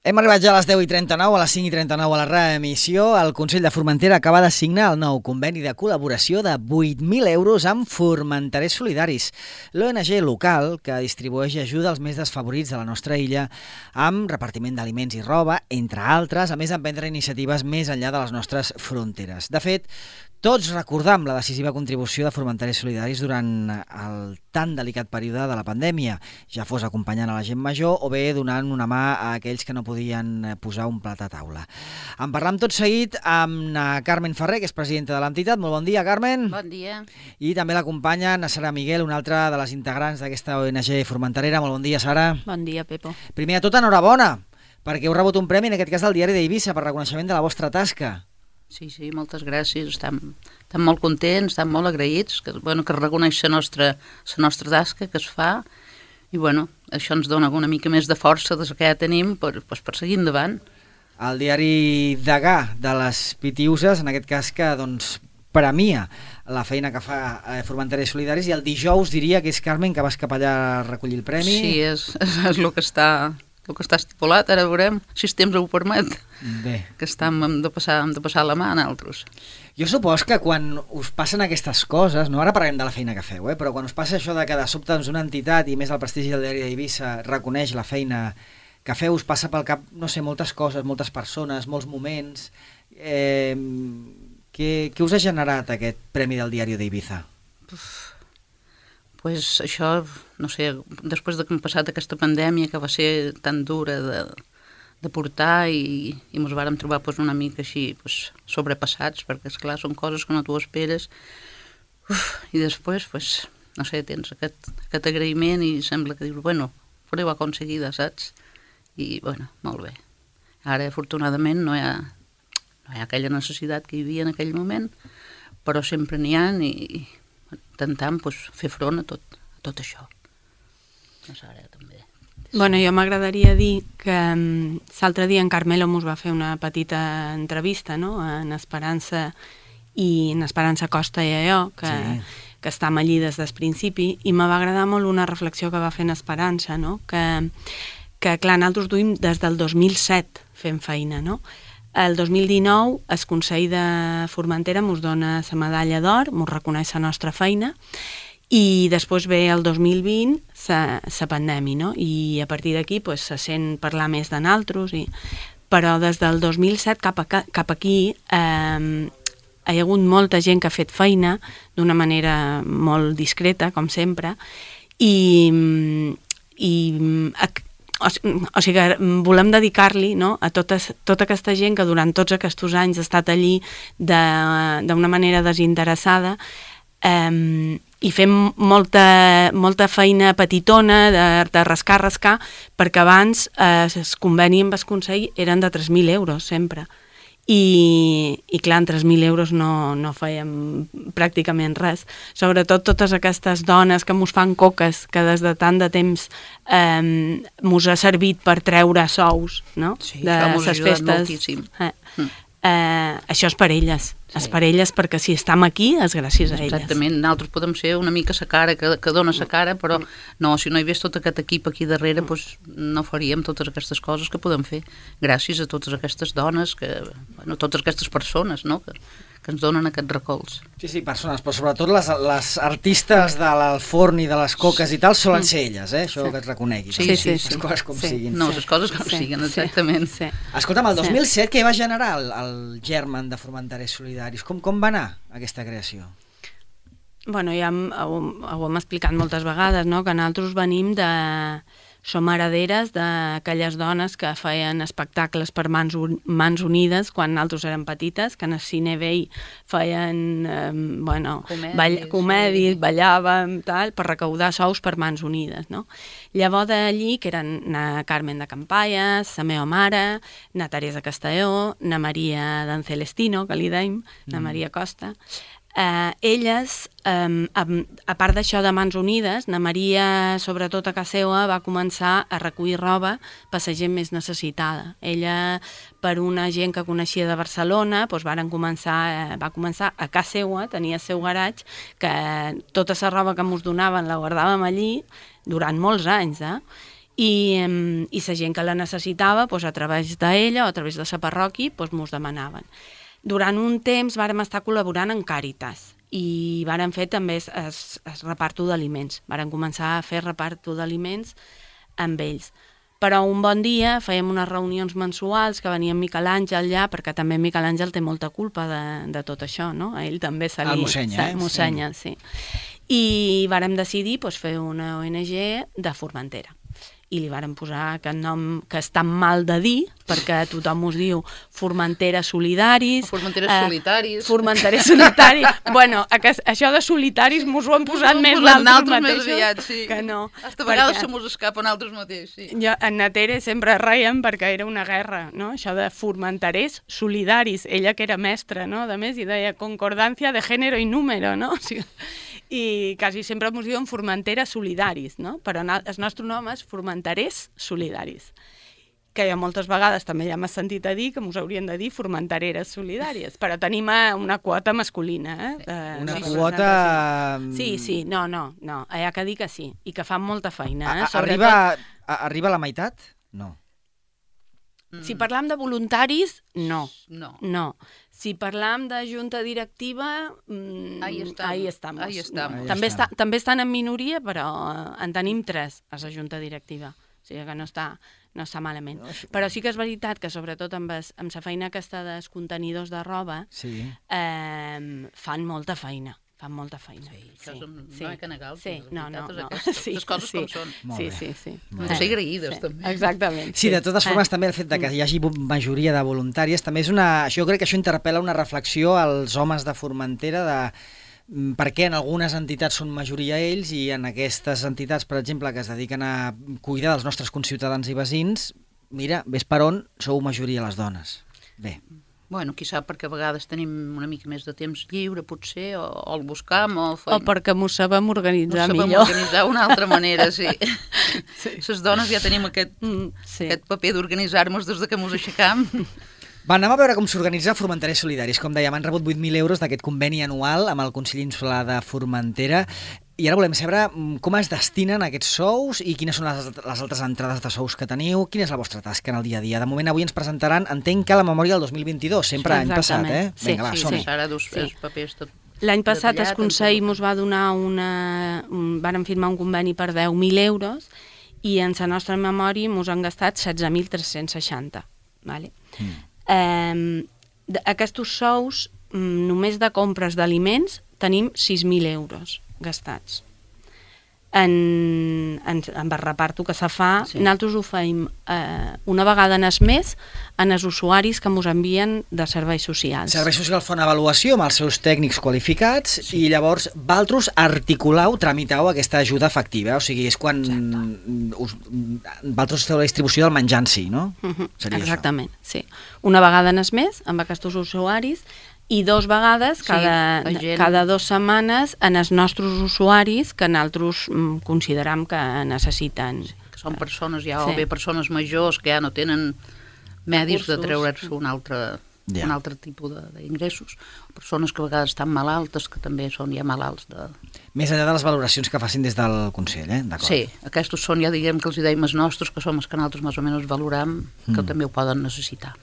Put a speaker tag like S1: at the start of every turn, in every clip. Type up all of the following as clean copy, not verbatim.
S1: Hem arribat ja a les 10:39, a les 5:39 a la reemissió. El Consell de Formentera acaba de signar el nou conveni de col·laboració de 8.000 euros amb Formenterers Solidaris, l'ONG local que distribueix ajuda als més desfavorits de la nostra illa amb repartiment d'aliments i roba, entre altres, a més d'emprendre iniciatives més enllà de les nostres fronteres. De fet, tots recordam la decisiva contribució de Formenterers Solidaris durant el tan delicat període de la pandèmia, ja fos acompanyant a la gent major o bé donant una mà a aquells que no podien posar un plat a taula. En parlam tot seguit amb na Carmen Ferrer, que és presidenta de l'entitat. Molt bon dia, Carmen.
S2: Bon dia.
S1: I també l'acompanya na Sara Miguel, una altra de les integrants d'aquesta ONG formenterera. Molt bon dia, Sara.
S2: Bon dia, Pepo.
S1: Primer de tot, enhorabona, perquè heu rebut un premi, en aquest cas del Diari d'Eivissa, per reconeixement de la vostra tasca.
S2: Sí, moltes gràcies. Estem molt contents, estem molt agraïts que reconeix la nostra tasca que es fa i això ens dona una mica més de força des que ja tenim per seguir endavant.
S1: El diari Degà de les Pitiuses, en aquest cas que premia la feina que fa Formenterers Solidaris, i el dijous diria que és Carmen que vas cap allà a recollir el premi.
S2: Sí, és el que està estipulat, ara veurem si el temps ho permet.
S1: Bé.
S2: Que hem de passar la mà a nosaltres.
S1: Jo supos que quan us passen aquestes coses, no ara parlem de la feina que feu, però quan us passa això de que de sobte una entitat, i més el prestigi del Diari d'Eivissa, reconeix la feina que feu, us passa pel cap, no sé, moltes coses, moltes persones, molts moments. Què us ha generat aquest Premi del Diari d'Eivissa?
S2: Pues això, no sé, després que hem passat aquesta pandèmia que va ser tan dura de portar i ens vàrem trobar una mica així sobrepassats, perquè esclar són coses que no t'ho esperes, i després, no sé, tens aquest agraïment i sembla que dius, fareu aconseguida, saps? I, molt bé. Ara, afortunadament, no hi ha aquella necessitat que hi havia en aquell moment, però sempre n'hi ha i intentant fer front a tot això. No sé, ara també.
S3: Jo m'agradaria dir que l'altre dia en Carmelo mos va fer una petita entrevista, no?, en Esperança Costa i jo, que estem allí des del principi, i me va agradar molt una reflexió que va fer en Esperança, no?, que clar, nosaltres duim des del 2007 fent feina, no? El 2019 el Consell de Formentera mos dona la medalla d'or, mos reconeix la nostra feina, i després ve el 2020 la pandèmia, no? I a partir d'aquí se sent parlar més de nosaltres, però des del 2007 cap aquí hi ha hagut molta gent que ha fet feina d'una manera molt discreta, com sempre, o sigui que volem dedicar-li, no?, a tota aquesta gent que durant tots aquests anys ha estat allí d'una manera desinteressada, i fem molta feina petitona de rascar, perquè abans el conveni amb el Consell eren de 3.000 euros sempre. I clar, en 3.000 euros no fèiem pràcticament res. Sobretot totes aquestes dones que mos fan coques, que des de tant de temps mos ha servit per treure sous, no?, de les festes. Això és per elles. És per elles, perquè si estem aquí és gràcies a elles.
S2: Exactament, nosaltres podem ser una mica la cara que dona la cara, però no, si no hi hagués tot aquest equip aquí darrere, no faríem totes aquestes coses que podem fer, gràcies a totes aquestes dones, totes aquestes persones, no?, que ens donen aquest recolz.
S1: Sí, persones, però sobretot les artistes del forn i de les coques i tal solen ser elles, això que et reconegui.
S2: Sí.
S1: Les coses com siguin.
S2: No, les coses com siguin, exactament.
S1: Escolta'm, el 2007 què va generar el germen de Formenterers Solidaris? Com va anar aquesta creació?
S3: Ja ho hem explicat moltes vegades, no?, que nosaltres venim som herederes d'aquelles dones que feien espectacles per mans unides quan nosaltres érem petites, que en el cine vell feien comèdies, ballàvem, per recaudar sous per mans unides, no? Llavors d'allí, que eren na Carmen de Campallas, la meva mare, na Teresa Castelló, na Maria d'en Celestino, que li deim, na Maria Costa, elles, a part d'això de Mans Unides, na Maria, sobretot a casa seva, va començar a recollir roba per la gent més necessitada. Ella, per una gent que coneixia de Barcelona, va començar a casa seva, tenia el seu garatge, que tota la roba que ens donaven la guardàvem allí durant molts anys, i la gent que la necessitava, doncs, a través d'ella o a través de la parròquia, doncs, mos demanaven. Durant un temps vàrem estar col·laborant en Càritas i vàrem fer també el reparto d'aliments. Vàrem començar a fer reparto d'aliments amb ells. Però un bon dia fèiem unes reunions mensuals que venia Miquel Àngel allà, perquè també Miquel Àngel té molta culpa de tot això, no? A ell també se li...
S1: El mossenya,
S3: mossenya, sí. I vàrem decidir fer una ONG de Formentera. I li vàrem posar aquest nom que és tan mal de dir, perquè tothom us diu Formentera Solidaris...
S2: Formenteres Solitaris...
S3: Formenteres Solitaris... Bueno, això de solitaris mos ho han posat més naltros mateixos.
S2: Més aviat, sí.
S3: Que no.
S2: Hasta a vegades se mos escapen altres mateix, sí.
S3: Jo, en Natere sempre reiem perquè era una guerra, no? Això de Formenterers Solidaris. Ella que era mestra, no? A més, i deia concordancia de género i número, no? O sigui, i quasi sempre ens diuen Formentera Solidaris, no? Però el nostre nom és Formenterers Solidaris, que moltes vegades també ja m'has sentit a dir que ens haurien de dir Formentereres Solidàries, però tenim una quota masculina.
S1: Una quota...
S3: Sí, no, hi ha que dir que sí, i que fan molta feina.
S1: Arriba a la meitat? No.
S3: Si parlam de voluntaris, no.
S2: No.
S3: Si parlam de junta directiva, ahí estamos. També estan en minoria, però en tenim 3 a la junta directiva. O sigui que no està malament. Però sí que és veritat que, sobretot amb la feina aquesta dels contenidors de roba, fan molta feina. Fan molta feina.
S2: Sí, això no hi ha que negar.
S3: Sí, no.
S2: Les coses com són.
S3: Sí.
S2: Hem de ser agraïdes, també.
S3: Exactament.
S1: Sí, de totes formes, també el fet que hi hagi majoria de voluntàries, també és jo crec que això interpel·la una reflexió als homes de Formentera de per què en algunes entitats són majoria ells i en aquestes entitats, per exemple, que es dediquen a cuidar dels nostres conciutadans i veïns, mira, ves per on sou majoria les dones. Bé.
S2: Bueno, qui sap, perquè a vegades tenim una mica més de temps lliure, potser, o el buscam, o
S3: perquè m'ho sabem organitzar millor.
S2: M'ho sabem organitzar d'una altra manera, sí. Les dones ja tenim aquest paper d'organitzar-nos des que mos aixecam.
S1: Va, anem a veure com s'organitza Formenterers Solidaris. Com dèiem, han rebut 8.000 euros d'aquest conveni anual amb el Consell Insular de Formentera. I ara volem saber com es destinen aquests sous i quines són les altres entrades de sous que teniu. Quina és la vostra tasca en el dia a dia? De moment, avui ens presentaran, entenc que la memòria del 2022, sempre any passat, eh?
S3: Vinga, va, som-hi.
S2: Ara dus els papers tot.
S3: L'any passat el Consell ens va donar vàrem firmar un conveni per 10.000 euros i en la nostra memòria ens han gastat 16.360. Vale? Aquests sous, només de compres d'aliments, tenim 6.000 euros gastats. En el reparto que se fa, nosaltres ho fem una vegada en el mes en els usuaris que ens envien de serveis socials.
S1: Serveis socials fa una avaluació amb els seus tècnics qualificats i llavors vosaltres articulau, tramitau aquesta ajuda efectiva, o sigui, és quan vosaltres feu la distribució del menjar en si, no?
S3: Exactament, sí. Una vegada en el mes amb aquests usuaris i 2 vegades cada 2 setmanes en els nostres usuaris que nosaltres consideram que necessiten.
S2: Que són persones ja, o bé persones majors que ja no tenen medis de treure's un altre tipus d'ingressos, persones que a vegades estan malaltes, que també són ja malalts de...
S1: Més enllà de les valoracions que facin des del Consell, d'acord?
S2: Sí, aquests són ja, diguem que els deim els nostres, que som els que nosaltres més o menys valoram, que també ho poden necessitar.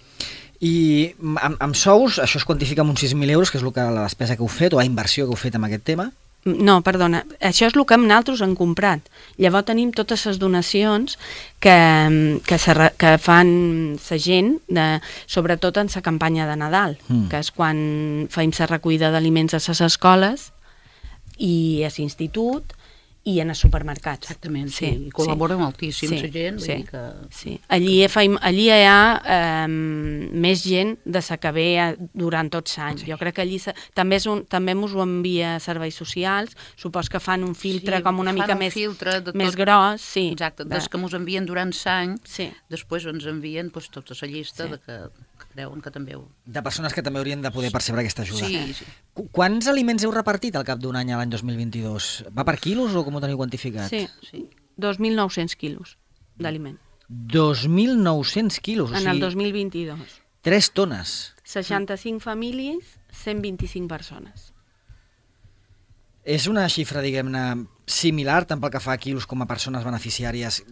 S1: I amb sous, això es quantifica amb uns 6.000 euros, que és la despesa que heu fet, o la inversió que heu fet en aquest tema?
S3: No, perdona, això és el que nosaltres hem comprat. Llavors tenim totes les donacions que fan la gent, sobretot en la campanya de Nadal, que és quan fem la recollida d'aliments a les escoles i a l'institut, i en els supermercats.
S2: Exactament, sí. I col·labora moltíssim la gent.
S3: Sí. Allí hi ha més gent de la que ve durant tots els anys. Jo crec que allí també ens ho envia serveis socials, supos que fan un filtre com una mica més gros.
S2: Exacte, des que ens envien durant l'any, després ens envien tota la llista que creuen que també ho...
S1: De persones que també haurien de poder percebre aquesta ajuda.
S2: Sí.
S1: Quants aliments heu repartit al cap d'un any a l'any 2022? Va per quilos o com ho teniu quantificat?
S3: Sí. 2.900 quilos d'aliment.
S1: 2.900 quilos?
S3: En el 2022.
S1: 3 tones.
S3: 65 famílies, 125 persones.
S1: És una xifra, diguem-ne, similar, tant pel que fa a quilos com a persones beneficiàries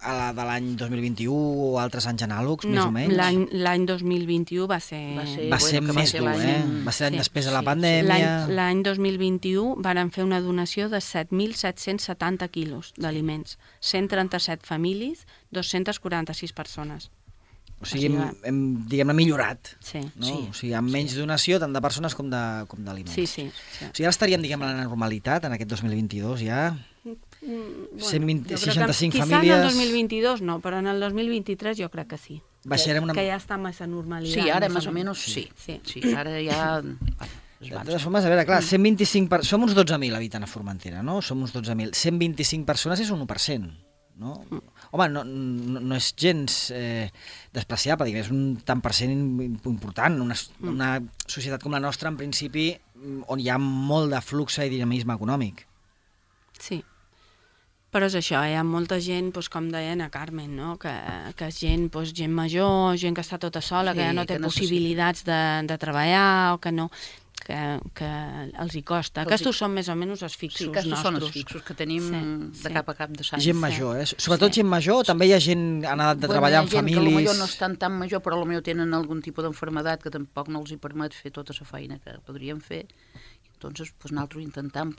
S1: a la de l'any 2021 o altres anys anàlogs, més o menys?
S3: No, l'any 2021 va ser
S1: més dur, Va ser l'any després de la pandèmia.
S3: L'any 2021 varen fer una donació de 7.770 quilos d'aliments, 137 famílies, 246 persones.
S1: O sigui, hem millorat.
S3: Sí.
S1: No? Sí. O sigui, amb menys donació, tant de persones com d'aliments.
S3: Sí.
S1: O sigui, ara estaríem, diguem, a la normalitat, en aquest 2022, ja... 65 famílies...
S3: Quizá en el 2022 no, però en el 2023 jo crec que sí.
S1: Baixarem una...
S3: Que ja està massa normalitat.
S2: Sí, ara més o menys sí. Ara ja...
S1: De totes formes, a veure, clar, 125 som uns 12.000 habitants a Formentera, no? Som uns 12.000. 125 persones és un 1%. No? Home, no és gens despreciable, diguem, és un tant per cent important. Una societat com la nostra, en principi, on hi ha molt de flux i dinamisme econòmic.
S3: Sí, però és això, hi ha molta gent, doncs, com deia a Carmen, no? que és gent major, gent que està tota sola, que ja no té possibilitats de treballar, o que no... que els hi costa. Aquests són més o menys els fixos nostres.
S2: Sí, aquests són els fixos que tenim de cap a cap de Sant.
S1: Gent major, Sobretot gent major, també hi ha gent que ha anat de treballar amb famílies...
S2: Hi ha gent que potser no estan tan major, però potser tenen algun tipus d'enfermedat que tampoc no els hi permet fer tota la feina que podrien fer. Entonces, nosaltres intentem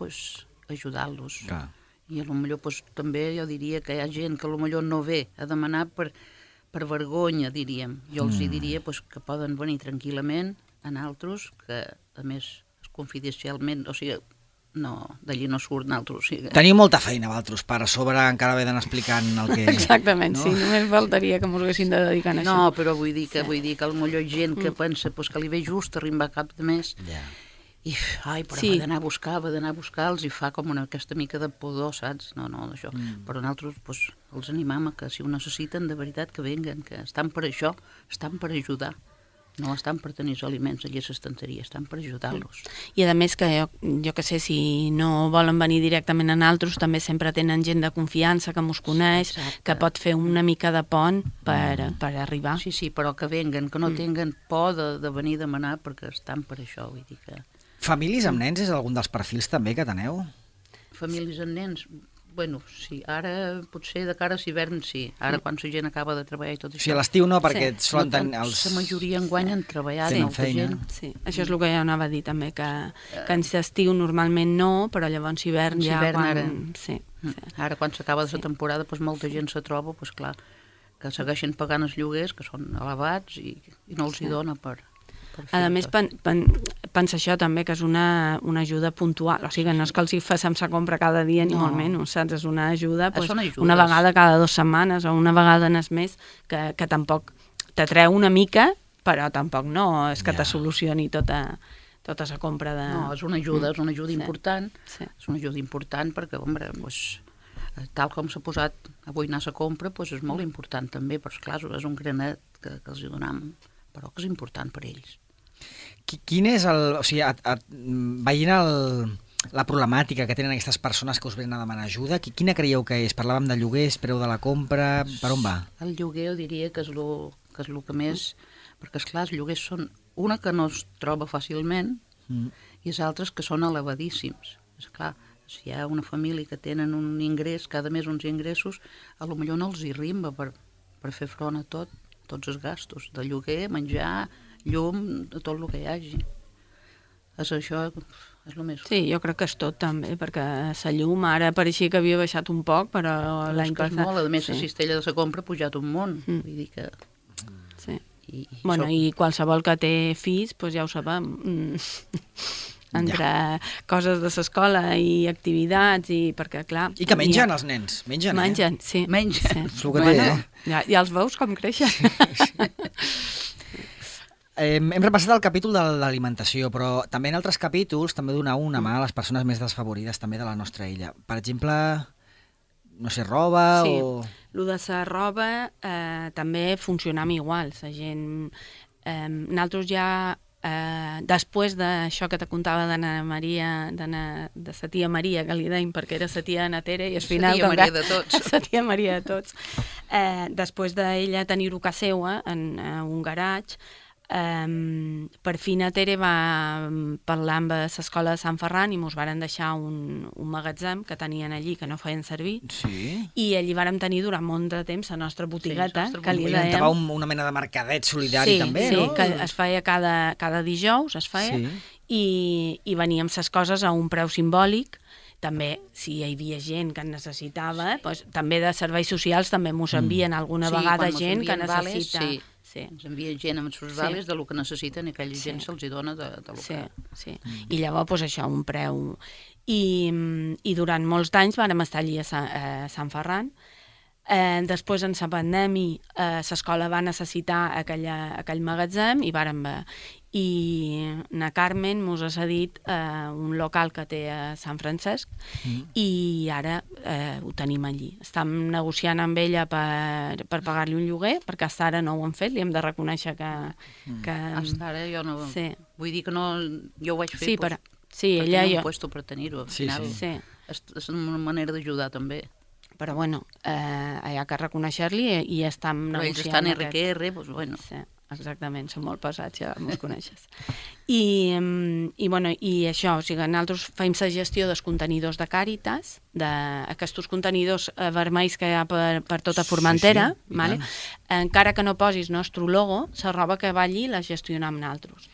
S2: ajudar-los. I potser també jo diria que hi ha gent que potser no ve a demanar per vergonya, diríem. Jo els diria que poden venir tranquil·lament a nosaltres, que a més confidencialment, o sigui, d'allí no surt nosaltres. O sigui...
S1: Teniu molta feina, vosaltres, per a sobre encara haver d'anar explicant el que...
S3: Exactament, no? Sí, només faltaria que ens haguessin de dedicar a això.
S2: No, però vull dir que potser gent que pensa que li ve just arribar a cap de mes i, però va d'anar a buscar-los i fa com aquesta mica de pudor, saps? No, d'això. Però nosaltres els animam a que si ho necessiten, de veritat que venguen, que estan per això, estan per ajudar. No estan per tenir els aliments allà a l'estanteria, estan per ajudar-los.
S3: I a més que jo que sé, si no volen venir directament a nosaltres, també sempre tenen gent de confiança que mos coneix, que pot fer una mica de pont per arribar.
S2: Sí, però que venguen, que no tinguin por de venir a demanar perquè estan per això, vull dir que...
S1: Famílies amb nens és algun dels perfils també que teneu?
S2: Famílies amb nens... Bueno, sí, ara potser de cara a l'hivern sí, ara quan la gent acaba de treballar i tot això.
S1: Sí, a l'estiu no, perquè solen tenir...
S2: La majoria enguany han treballat, molta gent.
S3: Sí, això és el que ja anava a dir també, que en l'estiu normalment no, però llavors hivern ja quan...
S2: Ara quan s'acaba la temporada, molta gent se troba, clar, que segueixen pagant els lloguers, que són elevats i no els hi dona per...
S3: A més, pensa això també, que és una ajuda puntual, o sigui, no és que els hi facem la compra cada dia ni molt menys, saps? És una ajuda una vegada cada 2 setmanes o una vegada en el mes, que tampoc t'atreu una mica, però tampoc no és que te solucioni tota la compra de...
S2: No, és una ajuda important, és una ajuda important perquè, tal com s'ha posat avui anar a la compra, és molt important també, però clar, és un granet que els hi donem, però que és important per ells.
S1: Quin és el... O sigui, veient la problemàtica que tenen aquestes persones que us venen a demanar ajuda, quina creieu que és? Parlàvem de lloguers, preu de la compra... Per on va?
S2: El lloguer jo diria que és el que més... Perquè, esclar, els lloguers són una que no es troba fàcilment i els altres que són elevadíssims. Esclar, si hi ha una família que tenen un ingrés, cada mes uns ingressos, potser no els hi rimba per fer front a tots els gastos, de lloguer, menjar, llum, de tot el que hi hagi. Això és el més...
S3: Sí, jo crec que és tot també, perquè la llum ara pareixia que havia baixat un poc, però l'any passat...
S2: A més, la cistella de la compra ha pujat un munt, vull dir que...
S3: Sí. I qualsevol que té fills, ja ho sabem, entre coses de l'escola i activitats, i perquè, clar...
S1: I que mengen els nens, mengen,
S3: sí.
S2: Mengen.
S1: És el que té,
S3: Ja els veus com creixen.
S1: Hem repassat el capítol de l'alimentació, però també en altres capítols també donar una mà a les persones més desfavorides també de la nostra illa. Per exemple, no sé, roba o...
S3: Sí, el de la roba també funcionam igual. La gent... Nosaltres ja, després d'això que te contava d'Anna Maria, de la tia Maria, que li deim perquè era la tia Anna Tere, i al final...
S2: La tia Maria de tots.
S3: La tia Maria de tots. Després d'ella tenir-ho a casa seva, en un garatge, per fi na Tere va parlar amb l'escola de Sant Ferran i mos varen deixar un magatzem que tenien allí que no feien servir, i allí vàrem tenir durant molt de temps la nostra botigueta, que li dèiem...
S1: una mena de mercadet solidari també, no?
S3: Sí, que es feia cada dijous, i veníem les coses a un preu simbòlic. També, si hi havia gent que en necessitava, també de serveis socials també mos envien alguna vegada gent que necessita...
S2: Ens envia gent amb els seus vales del que necessiten i aquella gent se'ls dona de lo que...
S3: Sí. I llavors, això, un preu... I durant molts d'anys vàrem estar allí a Sant Ferran. Després, en la pandèmia, l'escola va necessitar aquell magatzem i vàrem... I na Carmen mos ha cedit un local que té a Sant Francesc i ara ho tenim allí. Estem negociant amb ella per pagar-li un lloguer, perquè fins ara no ho hem fet, li hem de reconèixer que...
S2: Fins ara jo no... Vull dir que no... Jo ho vaig fer per
S3: ella
S2: tenir un puesto per tenir-ho. Al final és una manera d'ajudar també.
S3: Però bueno, hi ha que reconèixer-li i estem negociant...
S2: Però ells estan RQR, doncs bueno...
S3: Exactament, són molt pesats, ja mos coneixes. I això, o sigui, nosaltres fem la gestió dels contenidors de Càritas, d'aquests contenidors vermells que hi ha per tota Formentera, encara que no posis nostre logo, la roba que va allí la gestionem nosaltres.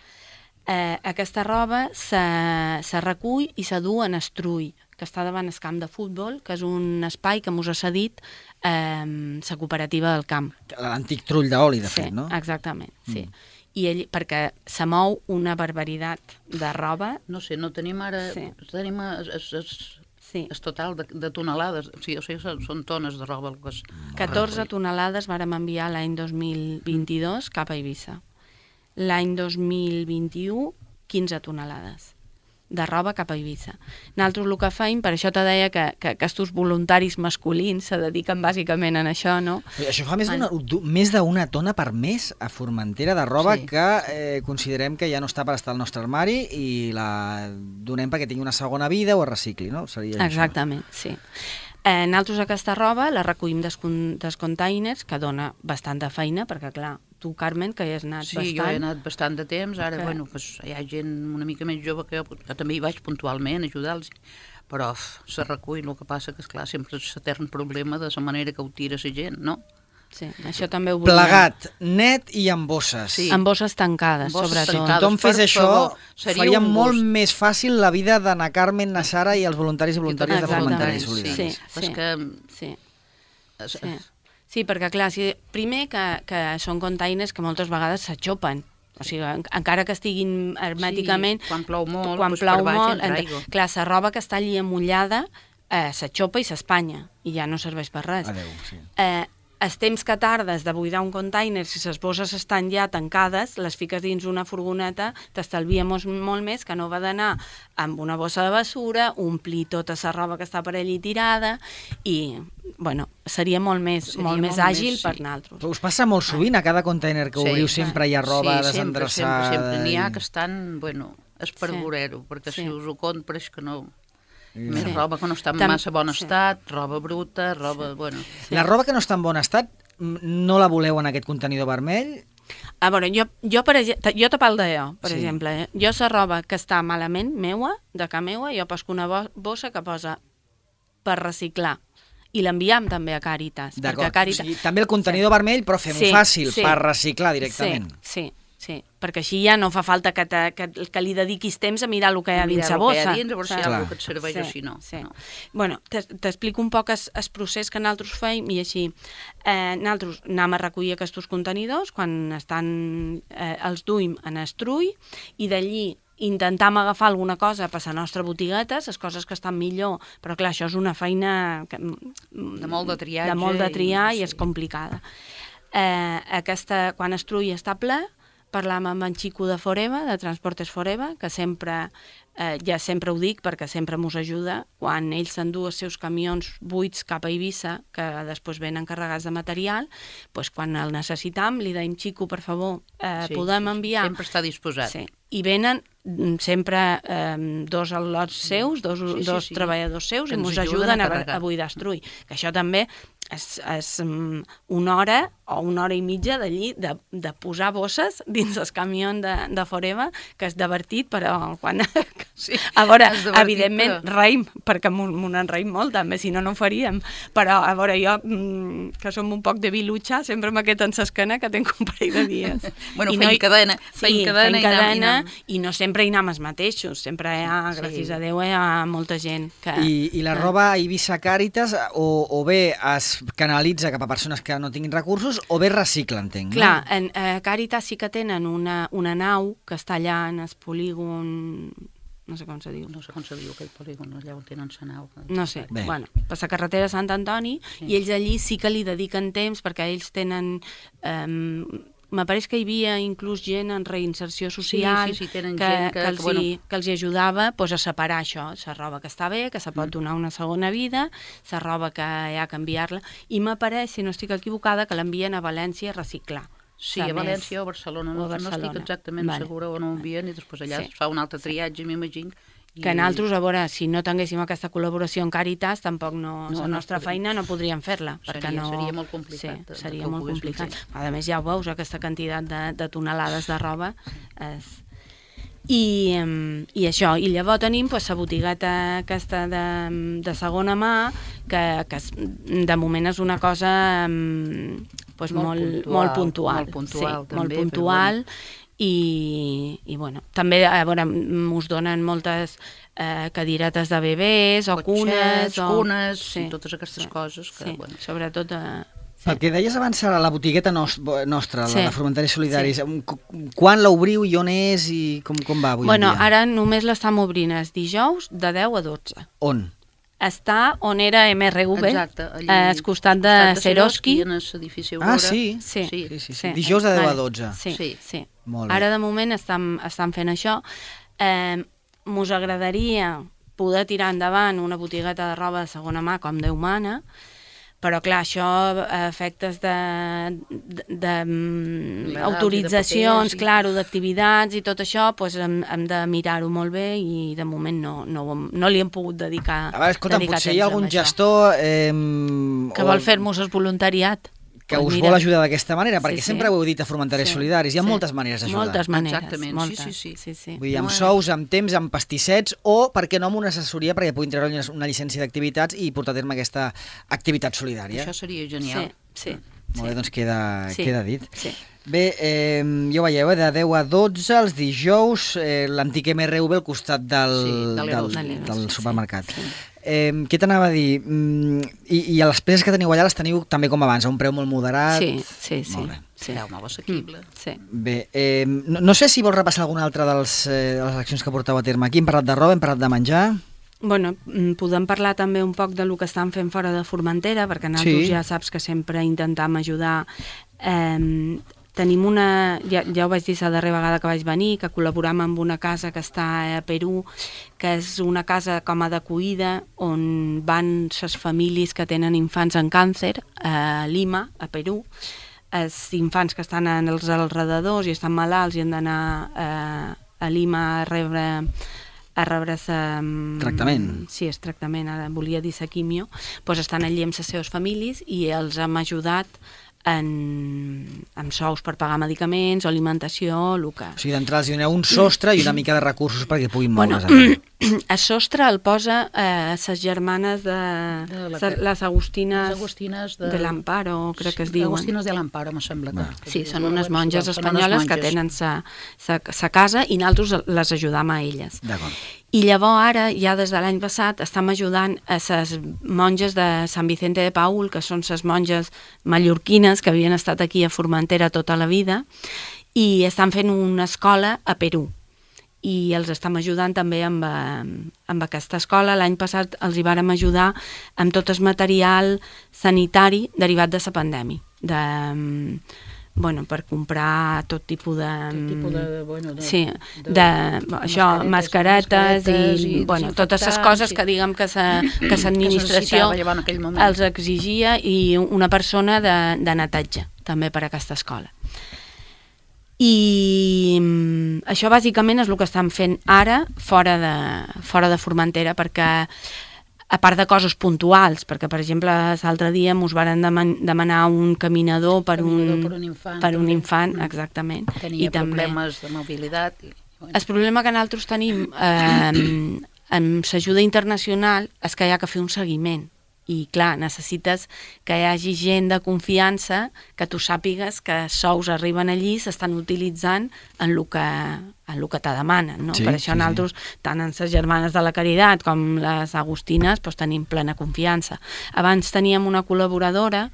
S3: Aquesta roba se recull i se du en Estrull, que està davant el camp de futbol, que és un espai que mos ha cedit la cooperativa del camp.
S1: L'antic trull d'oli, de fet, no?
S3: Exactament, sí. I perquè se mou una barbaritat de roba.
S2: No sé, no tenim ara... Tenim el total de tonelades, o sigui, són tones de roba.
S3: 14 tonelades vàrem enviar l'any 2022 cap a Eivissa. L'any 2021, 15 tonelades de roba cap a Eivissa. Nosaltres el que feim, per això te deia que aquests voluntaris masculins se dediquen bàsicament a això, no?
S1: Això fa més d'una tona per mes a Formentera de roba que considerem que ja no està per estar al nostre armari i la donem perquè tingui una segona vida o es recicli, no?
S3: Exactament, sí. Nosaltres aquesta roba la recollim dels containers, que dona bastant de feina, perquè clar, tu, Carmen, que hi has anat bastant...
S2: Sí, jo he anat bastant de temps, ara hi ha gent una mica més jove que jo també hi vaig puntualment a ajudar-los, però se recull, el que passa que, esclar, sempre és l'etern problema de la manera que ho tira la gent, no?
S3: Sí, això també ho volia...
S1: Plegat, net i amb bosses.
S3: Sí. Amb bosses tancades, sobretot.
S1: Si tothom fes això, faria molt més fàcil la vida d'Anna Carmen, na Sara i els voluntaris i voluntàries de Formentera i Solidaris.
S3: Sí, perquè clar, primer que són containers que moltes vegades s'aixopen. O sigui, encara que estiguin hermèticament...
S2: Quan plou molt,
S3: clar, la roba que està allí amullada s'aixopa i s'espanya, i ja no serveix per res.
S1: Adéu, sí.
S3: Els temps que tardes de buidar un container, si les bosses estan ja tancades, les fiques dins una furgoneta, t'estalvia molt més que no va d'anar amb una bossa de basura, omplir tota la roba que està per allí tirada, i bueno, seria molt més àgil per nosaltres.
S1: Us passa molt sovint, a cada container que obriu sempre hi ha roba desendreçada?
S2: Sí, sempre. N'hi ha que estan, bueno, és per veure-ho, perquè si us ho compro pareix que no... Més roba que no està en massa bon estat, roba bruta, roba... Bueno.
S1: La roba que no està en bon estat, no la voleu en aquest contenidor vermell?
S3: A veure, jo te parlo d'allò, per exemple. Jo la roba que està malament, meua, de ca meua, jo pesco una bossa que posa per reciclar. I l'enviem també a Càritas.
S1: D'acord, o sigui, també el contenidor vermell, però fem-ho fàcil, per reciclar directament.
S3: Sí, perquè així ja no fa falta que li dediquis temps a mirar el que hi ha dins la bossa.
S2: Mirar el que hi ha dins, a veure si hi ha alguna que et serveix o si no.
S3: Bueno, t'explico un poc el procés que nosaltres feim i així. Nosaltres anem a recollir aquests contenidors quan els duim en Estrull i d'allí intentam agafar alguna cosa per la nostra botigueta, les coses que estan millor, però clar, això és una feina
S2: de molt de triatge.
S3: De molt de triar i és complicada. Quan Estrull està ple, parlam amb en Xico de Foreva, de Transportes Foreva, que sempre, ja sempre ho dic perquè sempre mos ajuda, quan ell s'endú els seus camions buits cap a Eivissa, que després venen carregats de material, doncs quan el necessitam li deim Xico, per favor, podem enviar...
S2: Sempre està disposat.
S3: Sí, i venen sempre dos al·lots seus, dos treballadors seus, i ens ajuden a buidar Estrull. Que això també és una hora o una hora i mitja d'allí de posar bosses dins el camió de Foreva, que és divertit, però quan...
S2: Sí,
S3: a veure,
S2: és divertit,
S3: evidentment,
S2: però...
S3: reim, perquè m'ho n'enreim molt, també, si no, no ho faríem. Però, a veure, jo, que som un poc de vilutxa, sempre m'ha quedat en l'esquena que tenc un parell de dies.
S2: Bueno, feim cadena.
S3: Sí, feim cadena, i no sempre hi anem els mateixos, sempre hi ha, gràcies a Déu, hi ha molta gent que...
S1: I la roba a Eivissa Càritas o bé es canalitza cap a persones que no tinguin recursos o bé recicla, entenc, no?
S3: Clar, en Càritas sí que tenen una nau que està allà en el polígon... No sé com se diu.
S2: No sé com se diu aquell polígon, allà on tenen la nau.
S3: No sé,
S1: bé.
S3: Bueno, per la carretera de Sant Antoni, i ells allí sí que li dediquen temps perquè ells tenen... M'apareix que hi havia inclús gent en reinserció social
S2: tenen gent
S3: que els hi ajudava a separar això, la roba que està bé, que se pot donar una segona vida, la roba que hi ha que canviar-la, i m'apareix, si no estic equivocada, que l'envien a València a reciclar.
S2: Sí, a València o a Barcelona, no estic exactament segura on ho envien, i després allà es fa un altre triatge, m'imagino.
S3: Que nosaltres, a veure, si no tinguéssim aquesta col·laboració amb Càritas, tampoc la nostra feina no podríem fer-la.
S2: Seria molt complicat.
S3: Sí, seria molt complicat. A més, ja ho veus, aquesta quantitat de tonelades de roba. I això, i llavors tenim la botigueta aquesta de segona mà, que de moment és una cosa molt puntual. Molt puntual. I bueno, també a veure, us donen moltes cadiretes de bebès o cunes
S2: i totes aquestes coses que, bueno,
S3: sobretot
S1: el que deies abans a la botigueta nostra, la de Formentaris Solidaris, quan l'obriu i on és i com va avui en dia?
S3: Ara només l'estam obrint els dijous de 10 a 12.
S1: On?
S3: Està on era MRV, al costat de Seroski.
S2: En l'edifici Aurora.
S1: Ah, sí? Sí. Dijous de 10 a 12.
S3: Sí.
S1: Molt bé.
S3: Ara, de moment, estan fent això. Mos agradaria poder tirar endavant una botigueta de roba de segona mà, com Déu mana, però clar, això a efectes d'autoritzacions, d'activitats i tot això, hem de mirar-ho molt bé i de moment no li hem pogut dedicar temps a això.
S1: Escolta, potser hi ha algun gestor...
S3: que vol fer-nos el voluntariat.
S1: Que us vol ajudar d'aquesta manera, perquè sempre ho heu dit a Formentaris Solidaris, hi ha moltes maneres d'ajudar.
S3: Moltes maneres.
S2: Exactament,
S3: sí.
S1: Vull dir, amb sous, amb temps, amb pastissets, o, per què no, amb una assessoria perquè puguin treure una llicència d'activitats i portar a terme aquesta activitat solidària.
S2: Això seria genial.
S3: Sí.
S1: Molt bé, doncs queda dit.
S3: Sí.
S1: Bé, ja ho veieu, de 10 a 12 els dijous, l'antic MRV al costat del supermercat. Què t'anava a dir? I les peces que teniu allà les teniu també com abans, a un preu molt moderat?
S3: Sí.
S1: Molt bé.
S2: Preu molt assequible.
S1: Bé, no sé si vols repassar alguna altra de les accions que porteu a terme aquí. Hem parlat de roba, hem parlat de menjar...
S3: Bueno, podem parlar també un poc del que estan fent fora de Formentera, perquè nosaltres ja saps que sempre intentem ajudar. Tenim ja ho vaig dir la darrera vegada que vaig venir, que col·laboram amb una casa que està a Perú, que és una casa com a d'acollida on van les famílies que tenen infants amb càncer a Lima, a Perú. Els infants que estan als alrededors i estan malalts i han d'anar a Lima a rebre
S1: tractament.
S3: Sí, és tractament, ara volia dir la quimio, doncs estan allí amb les seves famílies i els hem ajudat amb sous per pagar medicaments o alimentació, el que...
S1: O sigui, d'entrada els doneu un sostre i una mica de recursos perquè puguin moure's.
S3: El sostre el posa les germanes de les Agustines de l'Amparo, crec que es diuen.
S2: Agustines de l'Amparo, me sembla.
S3: Sí, són unes monges espanyoles que tenen sa casa i nosaltres les ajudam a elles.
S1: D'acord.
S3: I llavors ara, ja des de l'any passat, estem ajudant a les monges de Sant Vicente de Paúl, que són les monges mallorquines que havien estat aquí a Formentera tota la vida, i estan fent una escola a Perú. I els estem ajudant també amb aquesta escola. L'any passat els hi vàrem ajudar amb tot el material sanitari derivat de la pandèmia, per comprar tot tipus de mascaretes i totes les coses que diguem que l'administració els exigia, i una persona de netatge també per a aquesta escola. I això bàsicament és el que estan fent ara fora de Formentera, perquè a part de coses puntuals, perquè, per exemple, l'altre dia ens varen demanar un caminador per un infant, exactament.
S2: Tenia problemes de mobilitat.
S3: El problema que nosaltres tenim amb l'ajuda internacional és que hi ha que fer un seguiment. I, clar, necessites que hi hagi gent de confiança, que tu sàpigues que sous arriben allí i s'estan utilitzant en el que te demanen, no? Per això nosaltres, tant en les germanes de la Caritat com les agustines, tenim plena confiança. Abans teníem una col·laboradora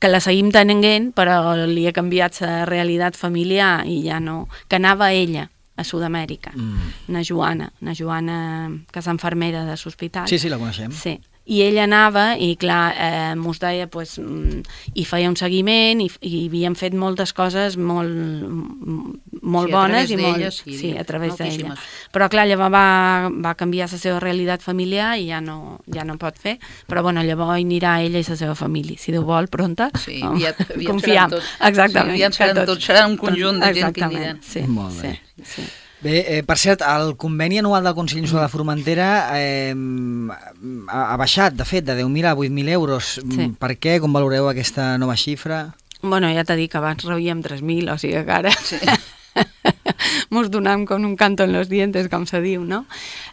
S3: que la seguim tenint, però li ha canviat la realitat familiar i ja no... que anava ella a Sud-amèrica, na Joana, que és infermera de l'hospital.
S1: Sí, la coneixem.
S3: Sí. I ella anava i, clar, mos deia, i feia un seguiment i havíem fet moltes coses molt bones i molt... Sí, a través d'ella. Però, clar, llavors va canviar la seva realitat familiar i ja no pot fer, però, bueno, llavors hi anirà ella i la seva família, si Déu vol, pronta.
S2: Sí, aviat
S3: confiem. Exactament.
S2: Aviat seran tots, serà un conjunt de gent que aniran.
S3: Sí,
S1: molt bé. Sí. Bé, per cert, el conveni anual del Consell Insular de Formentera ha baixat, de fet, de 10.000 a 8.000 euros. Sí. Per què? Com valoreu aquesta nova xifra?
S3: Bueno, ja t'he dit que abans rebíem 3.000, o sigui que ara mos donam com un canto en los dientes, com se diu, no?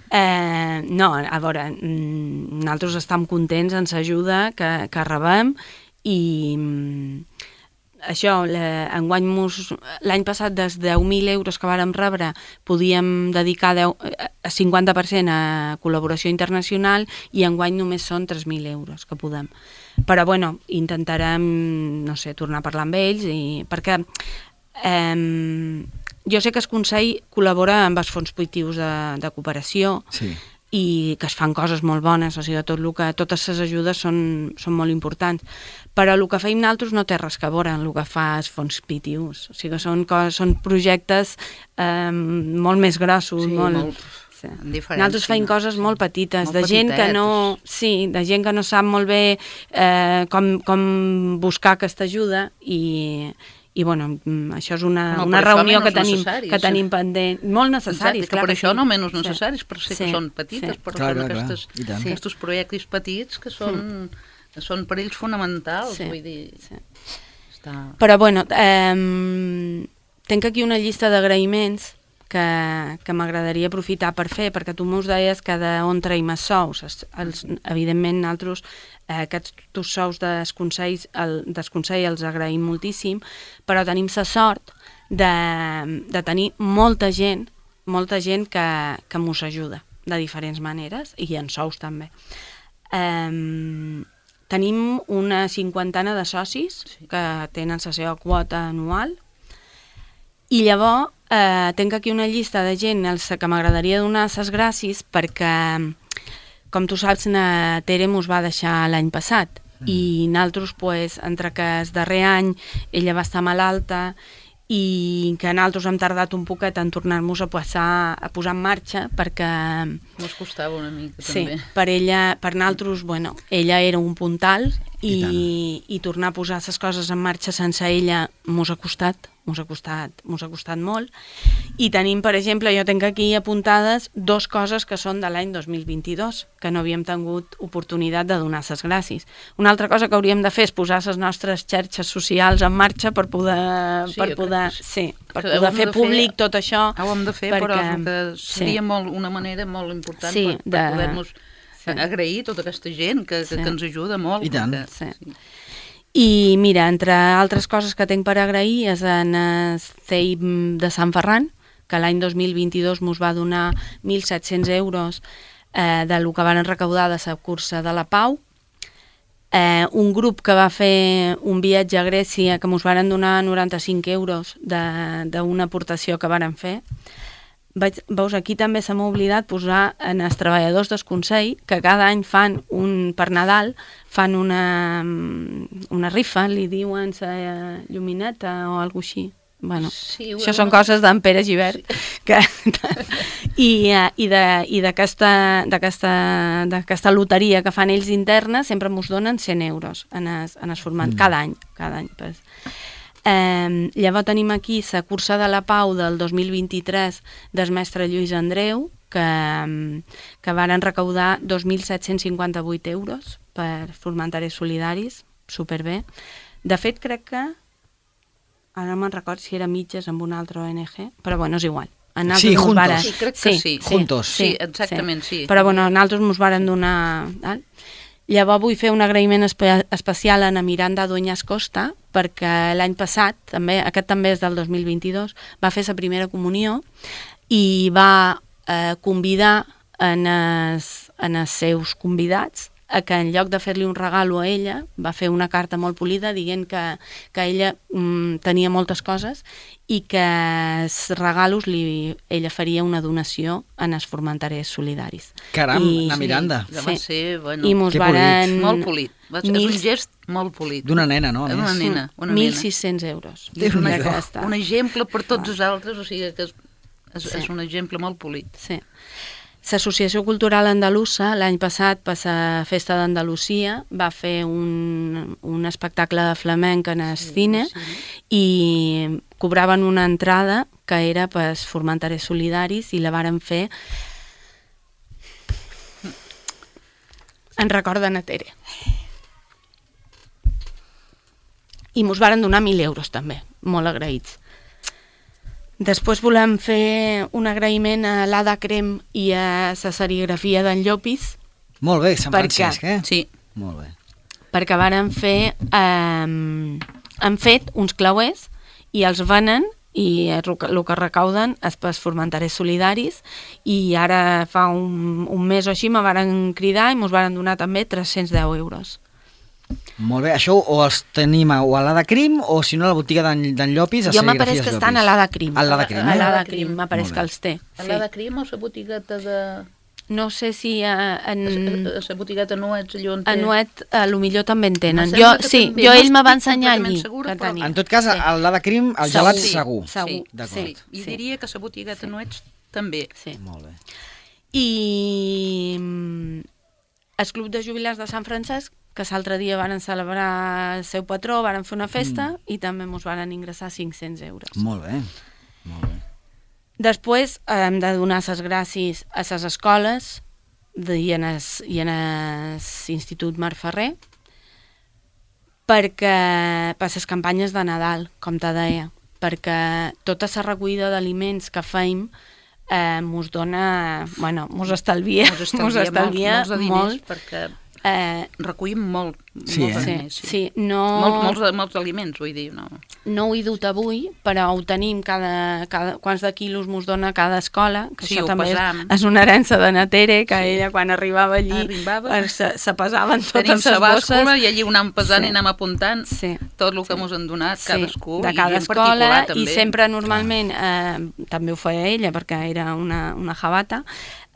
S3: No, a veure, nosaltres estem contents en l'ajuda que rebem i... Això, enguany l'any passat dels 10.000 euros que vàrem rebre podíem dedicar 50% a col·laboració internacional i enguany només són 3.000 euros que podem. Però, bueno, intentarem, no sé, tornar a parlar amb ells perquè jo sé que el Consell col·labora amb els fons positius de cooperació i que es fan coses molt bones, o sigui, totes les ajudes són molt importants, però el que feim nosaltres no té res a veure amb el que fa els fons PTUs, o sigui, són projectes molt més grossos, nosaltres feim coses molt petites, de gent que no sap molt bé com buscar aquesta ajuda i, bueno, això és una reunió que tenim pendent, molt necessaris.
S2: Exacte, per això no menys necessaris, per ser que són petites, però són aquests projectes petits que són per ells fonamentals, vull dir...
S3: Però, bueno, tenc aquí una llista d'agraïments que m'agradaria aprofitar per fer, perquè tu mos deies que d'on traiem els sous. Evidentment, nosaltres aquests sous del Consell els agraïm moltíssim, però tenim la sort de tenir molta gent que mos ajuda de diferents maneres, i en sous també. Tenim una 50 de socis que tenen la seva quota anual, i llavors tinc aquí una llista de gent als que m'agradaria donar les gràcies perquè, com tu saps, na Tere mos va deixar l'any passat i nosaltres, entre que el darrer any ella va estar malalta i que nosaltres hem tardat un poquet en tornar-nos a posar en marxa perquè...
S2: Mos costava una mica, també.
S3: Sí, per nosaltres, bueno, ella era un puntal i tornar a posar les coses en marxa sense ella mos ha costat molt. I tenim, per exemple, jo tinc aquí apuntades 2 coses que són de l'any 2022, que no havíem tingut oportunitat de donar les gràcies. Una altra cosa que hauríem de fer és posar les nostres xarxes socials en marxa per poder fer públic tot això.
S2: Ho hem de fer, però seria una manera molt important per poder-nos agrair tota aquesta gent que ens ajuda molt.
S1: I tant.
S3: I mira, entre altres coses que tinc per agrair és en el CEIP de Sant Ferran, que l'any 2022 mos va donar 1.700 euros del que van recaudar de la cursa de la Pau. Un grup que va fer un viatge a Grècia que mos van donar 95 euros d'una aportació que varen fer. Veus, aquí també se m'ha oblidat posar en els treballadors del Consell que cada any fan per Nadal fan una rifa, li diuen la llumineta o alguna cosa així. Bueno, això són coses d'en Pere Givert i d'aquesta loteria que fan ells interna sempre mos donen 100 euros en el format cada any. Llavors tenim aquí la cursa de la Pau del 2023 del mestre Lluís Andreu, que varen recaudar 2.758 euros per Formentaris Solidaris, superbé. De fet, crec que, ara no me'n record si era mitges amb una altra ONG, però bueno, és igual.
S1: Sí, juntos.
S2: Sí, crec que sí.
S1: Juntos.
S2: Sí, exactament, sí.
S3: Però bueno, nosaltres ens varen donar... Llavors vull fer un agraïment especial a na Miranda Dueñas Costa, perquè l'any passat, aquest també és del 2022, va fer la primera comunió i va convidar en els seus convidats a que en lloc de fer-li un regalo a ella, va fer una carta molt polida dient que ella tenia moltes coses i que els regalos ella faria una donació en els Formentaris Solidaris.
S1: Caram, na Miranda.
S2: Sí, va ser, bueno,
S3: i mos varen...
S2: Molt polit. És un gest molt polit.
S1: D'una nena, no?
S2: Una nena.
S3: 1.600 euros.
S2: Un exemple per tots els altres, o sigui que és un exemple molt polit.
S3: Sí. L'Associació Cultural Andalusa l'any passat per la Festa d'Andalusia va fer un espectacle de flamenc en el cine i cobraven una entrada que era per Formentaris Solidaris i la varen fer en record de na Tere. I mos varen donar 1.000 euros també, molt agraïts. Després volem fer un agraïment a l'Ada Crem i a la serigrafia d'en Llopis.
S1: Molt bé, Sant Francesc,
S2: Sí.
S1: Molt bé.
S3: Perquè varen fer... han fet uns clauers i els venen i el que recauden és per Formentaris Solidaris i ara fa un mes o així me varen cridar i mos varen donar també 310 euros.
S1: Molt bé, això o els tenim a l'Ada Crim o si no a la botiga d'en Llopis, a
S3: jo
S1: serigrafies
S3: m'apareix que estan a l'Ada Crim.
S1: A l'Ada Crim,
S3: A l'Ada Crim, m'apareix que els té.
S2: A l'Ada Crim o la botigueta de...
S3: No sé si
S2: la botigueta Nuets, allò on té...
S3: A Nuet, potser també en tenen.
S2: Sí,
S3: ell me va ensenyar allí que tenia.
S1: En tot cas, a l'Ada Crim, el gelat segur.
S3: Segur,
S1: d'acord.
S2: I diria que la botigueta Nuets també.
S3: Sí.
S1: Molt bé.
S3: I el Club de Jubilats de Sant Francesc, que l'altre dia van celebrar el seu patró, van fer una festa i també ens van ingressar 500 euros.
S1: Molt bé, molt bé.
S3: Després hem de donar les gràcies a les escoles i en l'Institut Mar Ferrer per les campanyes de Nadal, com te deia, perquè tota la recollida d'aliments que feim mos dona, bueno, mos estalvia
S2: molts diners,
S3: molt,
S2: perquè recollim molts aliments. Molts aliments, vull dir.
S3: No ho he dut avui, però ho tenim quants de quilos mos dona cada escola, que això també és una herència de na Tere, que ella quan arribava allí se pesaven totes les bosses.
S2: I allí ho anàvem pesant i anàvem apuntant tot el que mos han donat cadascú.
S3: De cada escola, i sempre normalment, també ho feia ella, perquè era una jabata,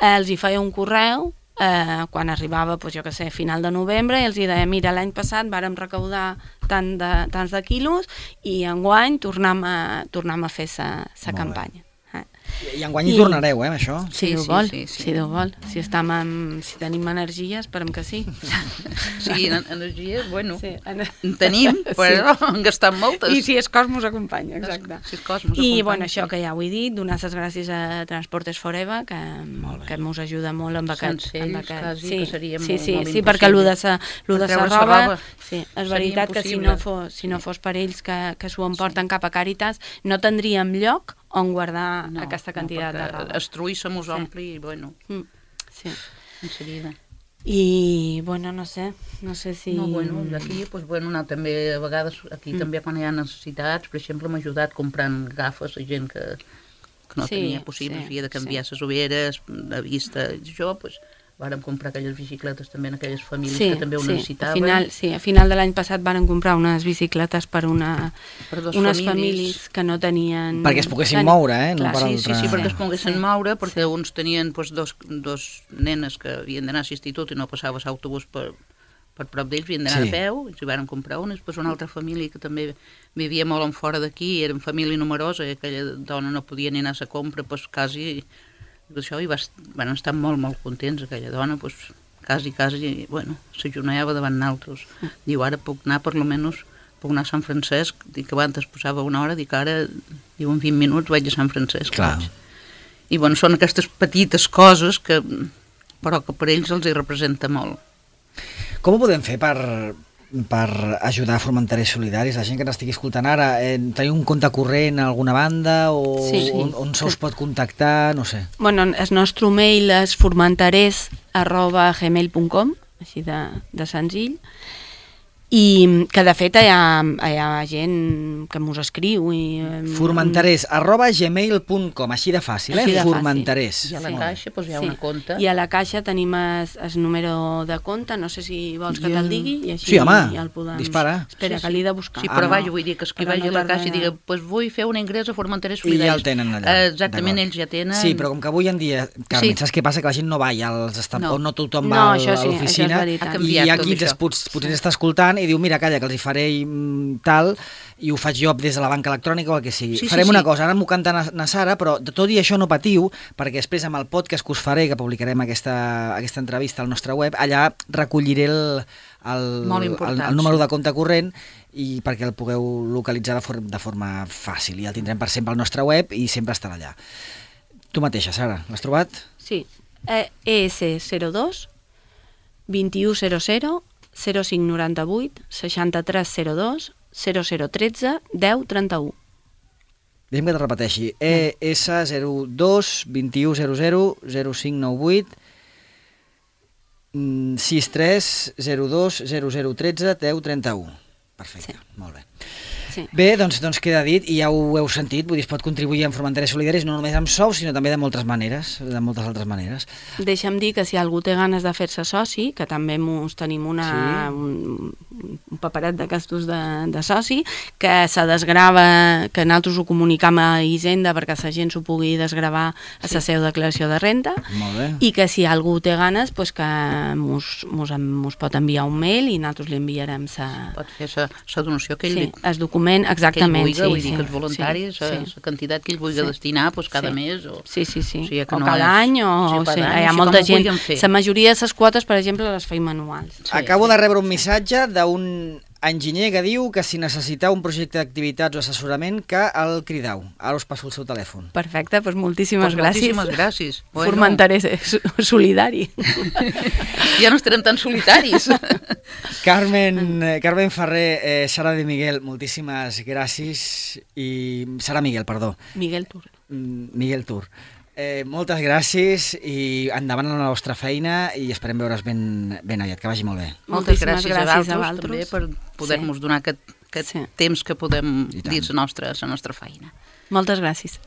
S3: els hi feia un correu quan arribava, jo què sé, final de novembre, i els deia, mira, l'any passat vàrem recaudar tants de quilos i enguany tornem a fer la campanya.
S1: I enguany hi tornareu, això?
S3: Si Déu vol, si Déu vol. Si tenim energia, esperem que sí.
S2: Sí, energies, bueno, en tenim, però en gastem moltes.
S3: I si el cos mos acompanya, exacte. I, bueno, això que ja ho he dit, donar les gràcies a Transportes Forever, que mos ajuda molt amb aquest... Sí, perquè el de la roba, és veritat que si no fos per ells que s'ho emporten cap a Càritas, no tindríem lloc on guardar aquesta quantitat de roba.
S2: Es trull se mos ompli i, bueno, en seguida.
S3: I, bueno, no sé si...
S2: No, bueno, aquí, també a vegades, aquí també quan hi ha necessitats, per exemple, m'ha ajudat comprant gafes a gent que no tenia possible, havia de canviar les ulleres, de vista, i això, doncs, vàrem comprar aquelles bicicletes també en aquelles famílies que també ho necessitaven.
S3: A final de l'any passat vàrem comprar unes bicicletes per unes famílies que no tenien...
S1: Perquè es poguessin moure, no per altra...
S2: Sí, perquè es poguessin moure, perquè uns tenien dos nenes que havien d'anar a l'institut i no passava l'autobús per prop d'ells, havien d'anar a peu, i s'hi vàrem comprar unes. Després una altra família que també vivia molt en fora d'aquí, era família numerosa, i aquella dona no podia ni anar a la compra, doncs quasi... Això, i van estar molt, molt contents, aquella dona, quasi, bueno, s'ajunava davant nosaltres. Diu, ara puc anar, per almenys, puc anar a Sant Francesc, dic que abans posava una hora, dic ara, diu en 20 minuts vaig a Sant Francesc.
S1: Clar.
S2: I bueno, són aquestes petites coses que, però que per ells els hi representa molt.
S1: Com ho podem fer per ajudar a Formenterers Solidaris? La gent que n'estigui escoltant ara, teniu un compte corrent a alguna banda o
S3: Sí.
S1: on se us pot contactar, no sé.
S3: Bueno, el nostre mail és formenterers@gmail.com, així de senzill, i que de fet hi ha gent que mos escriu
S1: Formenterers@gmail.com, així de fàcil,
S3: Així de fàcil.
S1: Formenterers.
S2: I a la
S3: Sí.
S2: caixa doncs, hi ha una compte.
S3: I a la caixa tenim el número de compte, no sé si vols que te'l digui, i així
S1: Sí, home,
S3: ja el podem...
S1: dispara.
S3: Espera, que l'he de buscar.
S2: Sí, però
S1: no.
S2: vaja, vull dir que es que
S3: Però
S2: vagi
S3: no
S2: a la caixa i
S3: tarda.
S2: digui pues vull fer un ingrés a Formenterers
S1: I
S2: Solidaris.
S1: ja el tenen allà.
S2: Exactament,
S1: D'acord.
S2: ells ja tenen.
S1: Sí, però com que avui en dia, Carmen,
S2: Sí.
S1: saps què passa? Que la gent no va ja als
S2: No.
S1: o no tothom
S3: No,
S1: va a
S3: això sí,
S1: l'oficina,
S3: això és veritat.
S2: Ha
S1: i
S2: canviat
S1: hi ha
S2: tot
S1: qui
S2: això.
S1: potser està escoltant i diu, mira, calla, que els hi faré tal, i ho faig jo des de la banca electrònica o el que sigui.
S2: Sí, sí,
S1: Farem
S2: sí.
S1: una cosa, ara m'ho canta na Sara, però de tot i això no patiu, perquè després amb el podcast que us faré, que publicarem aquesta entrevista al nostre web, allà recolliré el
S2: Molt important,
S1: el número de compte corrent i perquè el pugueu localitzar de forma fàcil, i el tindrem per sempre al nostre web i sempre estarà allà. Tu mateixa, Sara, l'has trobat?
S3: Sí, ES02 2100 0598 6302 0013 1031.
S1: Deixa'm que te repeteixi. ES02 2100 0598 6302 0013 1031. Perfecte,
S3: Sí.
S1: molt bé.
S3: Sí.
S1: Bé, doncs queda dit, i ja ho heu sentit, vull dir, es pot contribuir en Formenterers Solidaris no només amb sous, sinó també de moltes maneres, de moltes altres maneres.
S3: Deixa'm dir que si algú té ganes de fer-se soci, que també tenim un paperet d'aquestos de soci, que se desgrava, que nosaltres ho comunicam a Hisenda perquè la gent s'ho pugui desgravar a la seva declaració de renda,
S1: Molt bé.
S3: i que si algú té ganes, pues que mos pot enviar un mail i nosaltres li enviarem
S2: Pot fer la donació que ell
S3: el document, exactament.
S2: que ell vulgui, vull dir que els voluntaris, la quantitat que ell vulgui destinar doncs, cada mes. O
S3: Sí.
S2: o sigui, que
S3: O
S2: no
S3: cada any, o
S2: cada
S3: sí,
S2: any,
S3: hi ha
S2: així
S3: molta
S2: com ho
S3: gent.
S2: vulguin fer.
S3: La majoria de les quotes, per exemple, les feim manuals.
S1: Acabo de rebre un missatge d'un enginyer que diu que si necessiteu un projecte d'activitats o assessorament, que el cridau. Ara us passo el seu telèfon.
S3: Perfecte, doncs moltíssimes gràcies.
S2: Moltíssimes gràcies.
S3: Formenterers solidari.
S2: Ja no estarem tan solitaris.
S1: Carmen Ferrer, Sara de Miguel, moltíssimes gràcies. Sara Miguel, perdó.
S3: Miguel Tur.
S1: Miguel Tur. Moltes gràcies i endavant la vostra feina i esperem veure's ben aviat, que vagi molt bé.
S2: Moltes
S3: Moltíssimes
S2: gràcies a
S3: gràcies a
S2: vosaltres també
S3: vosaltres.
S2: per poder-nos donar aquest
S3: Sí.
S2: temps que podem
S1: I tant.
S2: dir la nostra feina.
S3: Moltes gràcies.